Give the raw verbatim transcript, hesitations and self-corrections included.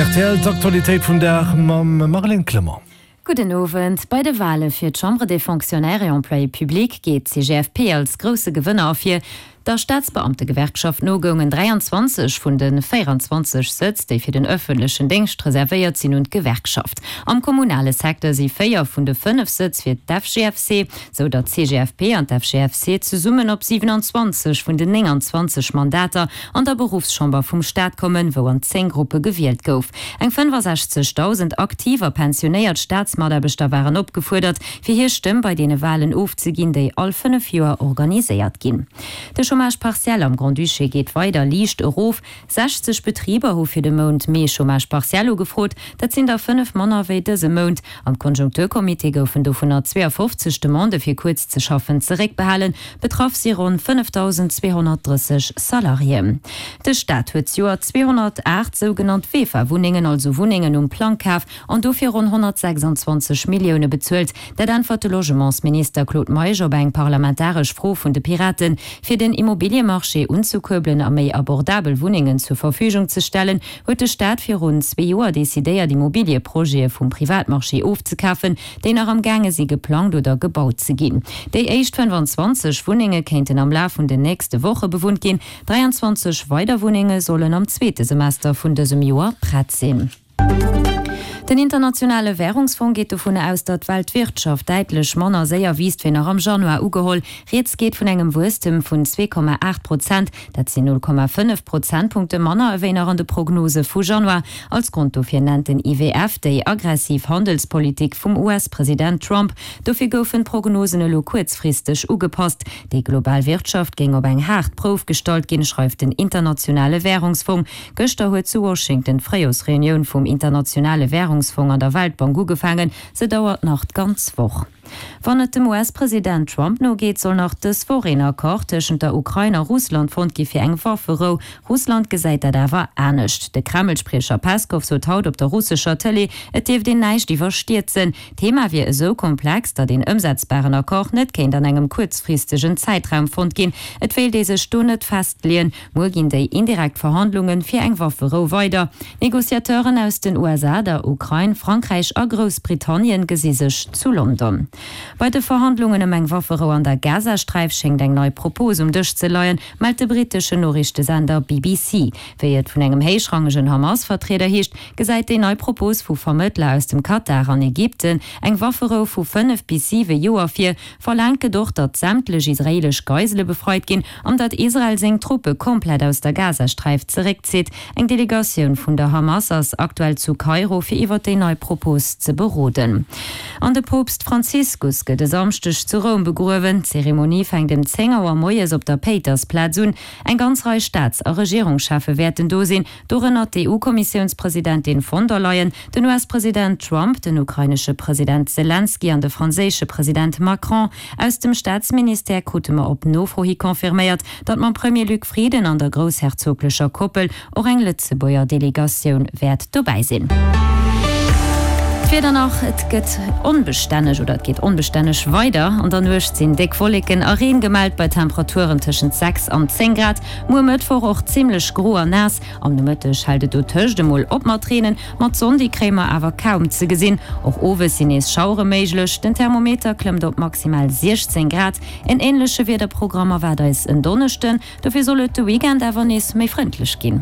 Rtl, D'Aktualitéit vum Dag mam Marlène Clement. Gudden Owend. Bei de Wale fir d'Chambre des Fonctionnaires et Employés publics geet d'CGFP als grousse Gewënner ervir. Der Staatsbeamtegewerkschaft no goungen dräianzwanzeg vun de véieranzwanzeg Sëtz, déi fir den ëffentlechen Déngscht reservéiert sinn, un d'Gewerkschaft. Am kommunale Secteur si véier vun de fënnef Sëtz fir d'FGFC, sou datt d'CGFP an d'FGFC zesummen op siwenanzwanzeg vun den nénganzwanzeg Mandater an der Beruffschamber vum Staat kommen, wou an zéng Gruppe gewielt gouf. Eng fënnefasechzegdausend aktiv a pensionéiert Staatsmataarbechter waren opgefuerdert, fir hir Stëmm bei deene Walen ofzeginn, déi all fënnef Joer organiséiert ginn. De Chômage partiel am Grand-Duché geet weider liicht erof. sechzeg Betriber hu fir de Mount Mee Chômage partiel ugefrot, dat sinn der fënnef manner wéi dëse Mount. Am Konjunkturcomité goufen dovunner zweeafofzeg Demandë fir kuerz ze schaffen zeréckbehalen. Betraff si ronn fënnefdausend zweehonnertdrësseg Salariéen. De Staat huet d'Joer zweehonnertaacht sougenannt VEFA-Wunnengen, also Wunnengen um Plang kaf an dofir ronn honnertsechsanzwanzeg Millioune bezuelt. Dat äntwert de Logementsminister Claude Meisch op eng parlamentaresch Fro vun de Piraten. Fir den Immobiliemarché unzekuerbelen a méi abordabel Wunnengen zur Verfügung ze stellen, huet de Staat virun zwee Joer decidéiert, Immobilieprojete vum Privatmarché ofzekafen, déi nach am gaange si geplangt oder gebaut ze ginn. Déi éischt fënnfanzwanzeg Wunnenge kéinten am Laf vun den nächste Woche bewunnt ginn. dräianzwanzeg weider Wunnenge sollen am zweete Semester vun dësem Joer prett sinn. Den Internationale Wärungsfong geet dovun aus, datt d'Weltwirtschaft däitlech manner séier wiisst wéi nach am Januar ugeholl. Rieds geet vun engem Wuesstem vun zwee Komma aacht Prozent, dat sinn null Komma fënnef Prozentpunkte manner ewéi nach an de Prognose vu Januar. Als Grond dofir nennt den I W F déi aggressiv Handelspolitik vum U S-President Trump. Dofir goufen d'Prognosen elo kuerzfristeg ugepasst. Déi global Wirtschaft géing op eng haart Prouf gestallt ginn, schreift den Internationale Wärungsfong. Gëschter huet zu Washington d'Fréijorsreunioun vum Internationale Wärungsfong an der Weltbank ugefaangen. Se dauert nach d'ganz Woch. Wann et dem U S-President Trump no geet, soll nach dës Woch een Accord tëschent der Ukrain a Russland fonnt gi fir eng Wafferou. Russland gesäit dat awer anescht. De Kreml-Spriecher Peskow sot haut op der russescher Tëlee, et dierft een näischt iwwerstierzen. D'Thema wier esou komplex, datt een ëmsetzbaren Accord net kéint an engem kuerzfristegen Zäitraum fonnt ginn. Et wéilt ee sech do net festleeën. Muer ginn déi indirekt Verhandlunge fir eng Wafferou weider. Negociateuren aus den U S A, der Ukrain, Frankräich a Groussbritannien gesi sech zu London. Bei de Verhandlungen ëm eng Wafferou an der Gazasträif schéngt eng nei Propos um Dësch ze leien, mellt de britteschen Noriichtesender B B C. Wéi et vun engem héichrangegen Hamas-Vertrieder heescht, gesäit déi nei Propos vu Vermëttler aus dem Katar an Ägypten eng Wafferou vu fënnef bis siwe Joer vir. Verlaangt gëtt och, datt sämtlech israeelesch Geisele befreit ginn an datt Israel seng Truppe komplett aus der Gazasträif zeréckzitt. Eng Delegatioun vun der Hamas ass aktuell zu Kairo, fir iwwer déi nei Propos ze beroden. An de Poopst Franziskus gëtt e Samschdeg zu Roum begruewen. D'Zeremonie fänkt ëm zéng Auer moies op der Péitersplaz un. Eng ganz Rei Staats a Regierungscheffe wäerten do sinn, dorënner d'E U-Kommissiounspresidentin von der Leyen, den U S-President Trump, den ukrainesche President Selenskyj an de franséische President Macron. Aus dem Staatsministère krute mer op Nofro hi confirméiert, datt mam Premier Luc Frieden an der groussherzoglecher Koppel och eng Lëtzebuerger Delegatioun wäert dobäi sinn. D'Wieder nach, Et gëtt onbestänneg oder et geet onbestänneg weider. An der Nuecht sinn déck Wolleken a Reen gemellt bei Temperaturen tëschent sechs an zéng Grad. Muer Mëttwoch och zimmlech gro an naass. Am Nomëtteg hält et dotëscht emol op mat reenen, ma d'Sonn déi kréie mer awer kaum ze gesinn. Och owes sinn nees Schauere méiglech. Den Thermometer klëmmt op maximal siechzéng Grad. En änleche Wiederprogramm erwaart eis en Donneschden, dofir soll et de Weekend awer nees méi frëndlech ginn.